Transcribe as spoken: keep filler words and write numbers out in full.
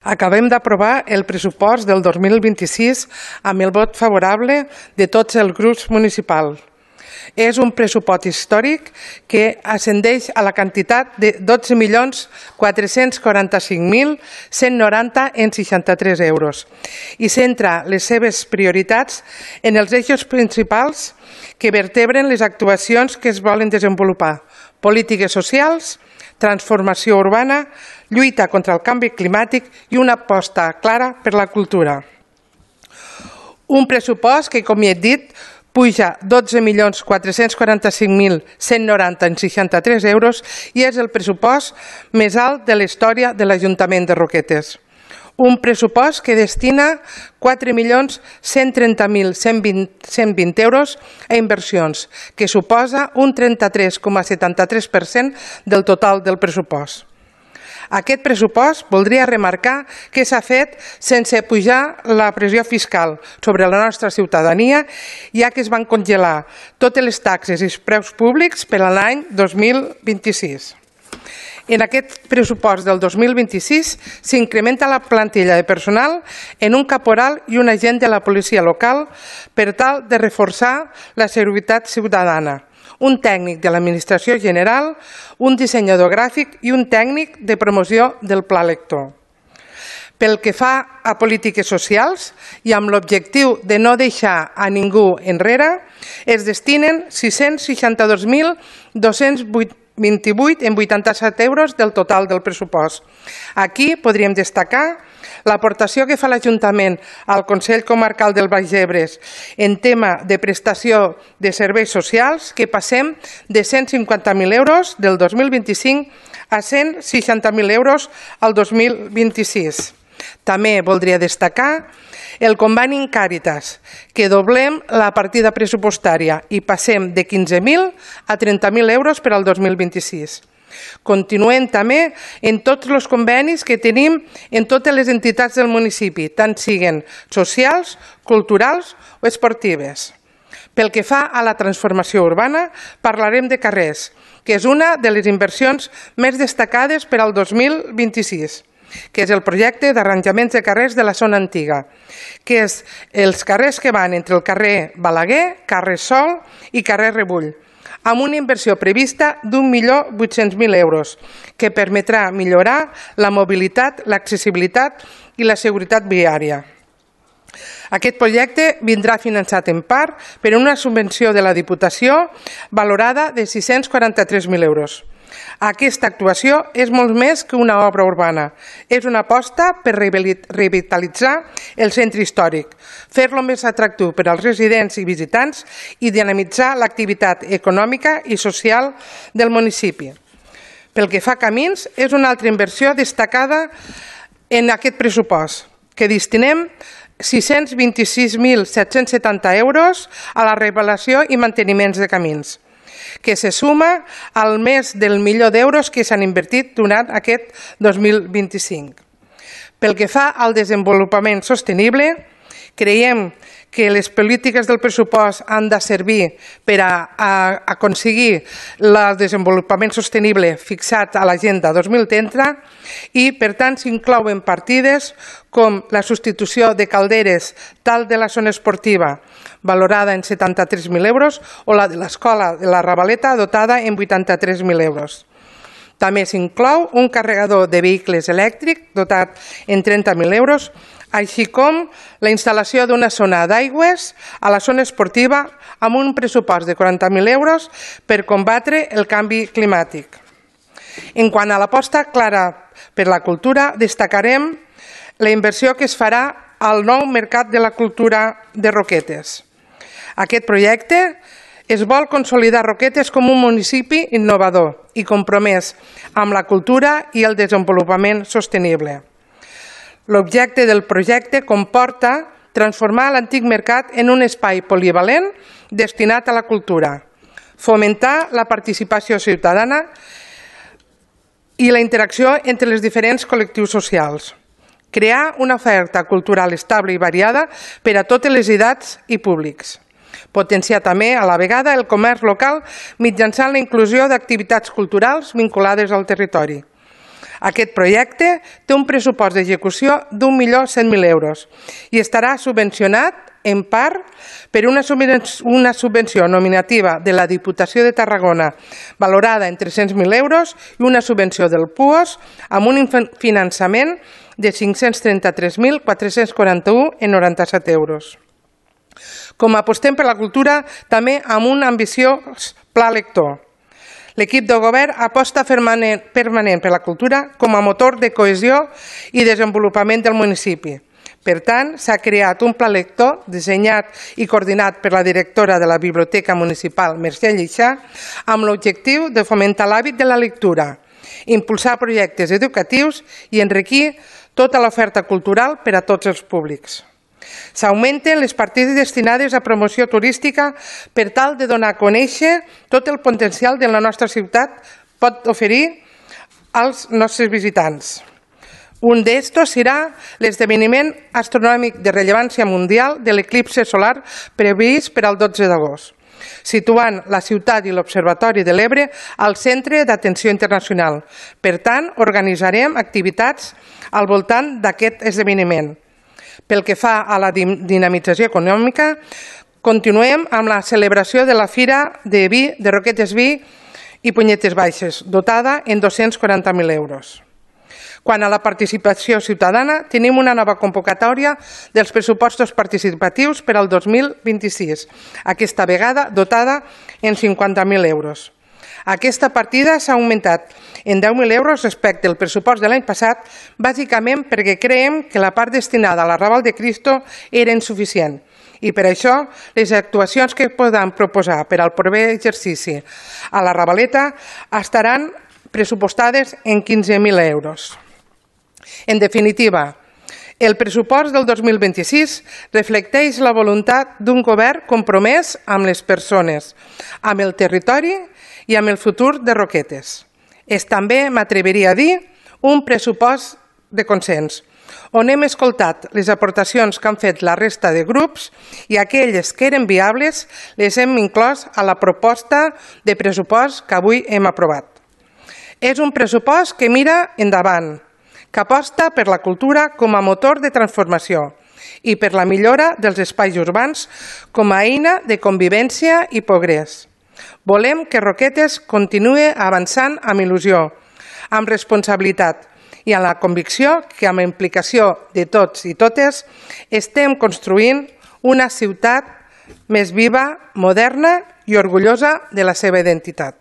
Acabem d'aprovar el pressupost del dos mil vint-i-sis amb el vot favorable de tots els grups municipals. És un pressupost històric que ascendeix a la quantitat de dotze milions quatre-cents quaranta-cinc mil cent noranta en seixanta-tres euros i centra les seves prioritats en els eixos principals que vertebren les actuacions que es volen desenvolupar: polítiques socials, transformació urbana, lluita contra el canvi climàtic i una aposta clara per la cultura. Un pressupost que, com ja he dit, puja dotze milions quatre-cents quaranta-cinc mil cent noranta en seixanta-tres euros i és el pressupost més alt de la història de l'Ajuntament de Roquetes. Un pressupost que destina quatre milions cent trenta mil cent vint euros a inversions, que suposa un trenta-tres coma setanta-tres per cent del total del pressupost. Aquest pressupost voldria remarcar que s'ha fet sense pujar la pressió fiscal sobre la nostra ciutadania, ja que es van congelar totes les taxes i els preus públics per a l'any dos mil vint-i-sis. En aquest pressupost del dos mil vint-i-sis s'incrementa la plantilla de personal en un caporal i un agent de la policia local per tal de reforçar la seguretat ciutadana, un tècnic de l'Administració General, un dissenyador gràfic i un tècnic de promoció del Pla Lector. Pel que fa a polítiques socials i amb l'objectiu de no deixar a ningú enrere, es destinen sis-cents seixanta-dos mil dos-cents vint-i-vuit en vuitanta-set euros del total del pressupost. Aquí podríem destacar l'aportació que fa l'Ajuntament al Consell Comarcal del Baix Ebre en tema de prestació de serveis socials, que passem de cent cinquanta mil euros del dos mil vint-i-cinc a cent seixanta mil euros al dos mil vint-i-sis. També voldria destacar el conveni en Càritas, que doblem la partida pressupostària i passem de quinze mil a trenta mil euros per al dos mil vint-i-sis. Continuem també en tots els convenis que tenim en totes les entitats del municipi, tant siguin socials, culturals o esportives. Pel que fa a la transformació urbana, parlarem de carrers, que és una de les inversions més destacades per al dos mil vint-i-sis, que és el projecte d'arranjaments de carrers de la zona antiga, que és els carrers que van entre el carrer Balaguer, carrer Sol i carrer Rebull, amb una inversió prevista d'un milió vuit-cents mil euros, que permetrà millorar la mobilitat, l'accessibilitat i la seguretat viària. Aquest projecte vindrà finançat en part per una subvenció de la Diputació valorada de sis-cents quaranta-tres mil euros. Aquesta actuació és molt més que una obra urbana. És una aposta per revitalitzar el centre històric, fer-lo més atractiu per als residents i visitants i dinamitzar l'activitat econòmica i social del municipi. Pel que fa a camins, és una altra inversió destacada en aquest pressupost, que destinem sis-cents vint-i-sis mil set-cents setanta euros a la revelació i manteniments de camins, que se suma al més del milió d'euros que s'han invertit durant aquest dos mil vint-i-cinc. Pel que fa al desenvolupament sostenible, creiem que les polítiques del pressupost han de servir per a, a aconseguir el desenvolupament sostenible fixat a l'Agenda dos mil trenta i, per tant, s'inclouen partides com la substitució de calderes tal de la zona esportiva, valorada en setanta-tres mil euros, o la de l'escola de la Ravaleta, dotada en vuitanta-tres mil euros. També s'inclou un carregador de vehicles elèctrics dotat en trenta mil euros, així com la instal·lació d'una zona d'aigües a la zona esportiva amb un pressupost de quaranta mil euros per combatre el canvi climàtic. En quant a l'aposta clara per la cultura, destacarem la inversió que es farà al nou Mercat de la Cultura de Roquetes. Aquest projecte es vol consolidar Roquetes com un municipi innovador i compromès amb la cultura i el desenvolupament sostenible. L'objecte del projecte comporta transformar l'antic mercat en un espai polivalent destinat a la cultura, fomentar la participació ciutadana i la interacció entre els diferents col·lectius socials, crear una oferta cultural estable i variada per a totes les edats i públics, potenciar també a la vegada el comerç local mitjançant la inclusió d'activitats culturals vinculades al territori, Aquest projecte té un pressupost d'execució d'un milió cent mil euros i estarà subvencionat en part per una subvenció nominativa de la Diputació de Tarragona valorada en tres-cents mil euros i una subvenció del P U O S amb un finançament de cinc-cents trenta-tres mil quatre-cents quaranta-u coma noranta-set euros. Com apostem per la cultura, també amb un ambiciós pla lector. L'equip de govern aposta permanent per la cultura com a motor de cohesió i desenvolupament del municipi. Per tant, s'ha creat un pla lector dissenyat i coordinat per la directora de la Biblioteca Municipal, Mercè Lleixà, amb l'objectiu de fomentar l'hàbit de la lectura, impulsar projectes educatius i enriquir tota l'oferta cultural per a tots els públics. S'augmenten les partides destinades a promoció turística per tal de donar a conèixer tot el potencial que la nostra ciutat pot oferir als nostres visitants. Un d'estos serà l'esdeveniment astronòmic de rellevància mundial de l'eclipse solar previst per al dotze d'agost, situant la ciutat i l'Observatori de l'Ebre al centre d'atenció internacional. Per tant, organitzarem activitats al voltant d'aquest esdeveniment. Pel que fa a la dinamització econòmica, continuem amb la celebració de la Fira de Vi de Roquetes Vi i Punyetes Baixes, dotada en dos-cents quaranta mil euros. Quant a la participació ciutadana, tenim una nova convocatòria dels pressupostos participatius per al dos mil vint-i-sis, aquesta vegada dotada en cinquanta mil euros. Aquesta partida s'ha augmentat en deu mil euros respecte al pressupost de l'any passat, bàsicament perquè creiem que la part destinada a l'Arrabal de Cristo era insuficient. I per això, les actuacions que podem proposar per al proper exercici a la Ravaleta estaran pressupostades en quinze mil euros. En definitiva, el pressupost del dos mil vint-i-sis reflecteix la voluntat d'un govern compromès amb les persones, amb el territori i amb el futur de Roquetes. És també, m'atreviria a dir, un pressupost de consens, on hem escoltat les aportacions que han fet la resta de grups i aquelles que eren viables les hem inclòs a la proposta de pressupost que avui hem aprovat. És un pressupost que mira endavant, que aposta per la cultura com a motor de transformació i per la millora dels espais urbans com a eina de convivència i progrés. Volem que Roquetes continuï avançant amb il·lusió, amb responsabilitat i amb la convicció que amb la implicació de tots i totes estem construint una ciutat més viva, moderna i orgullosa de la seva identitat.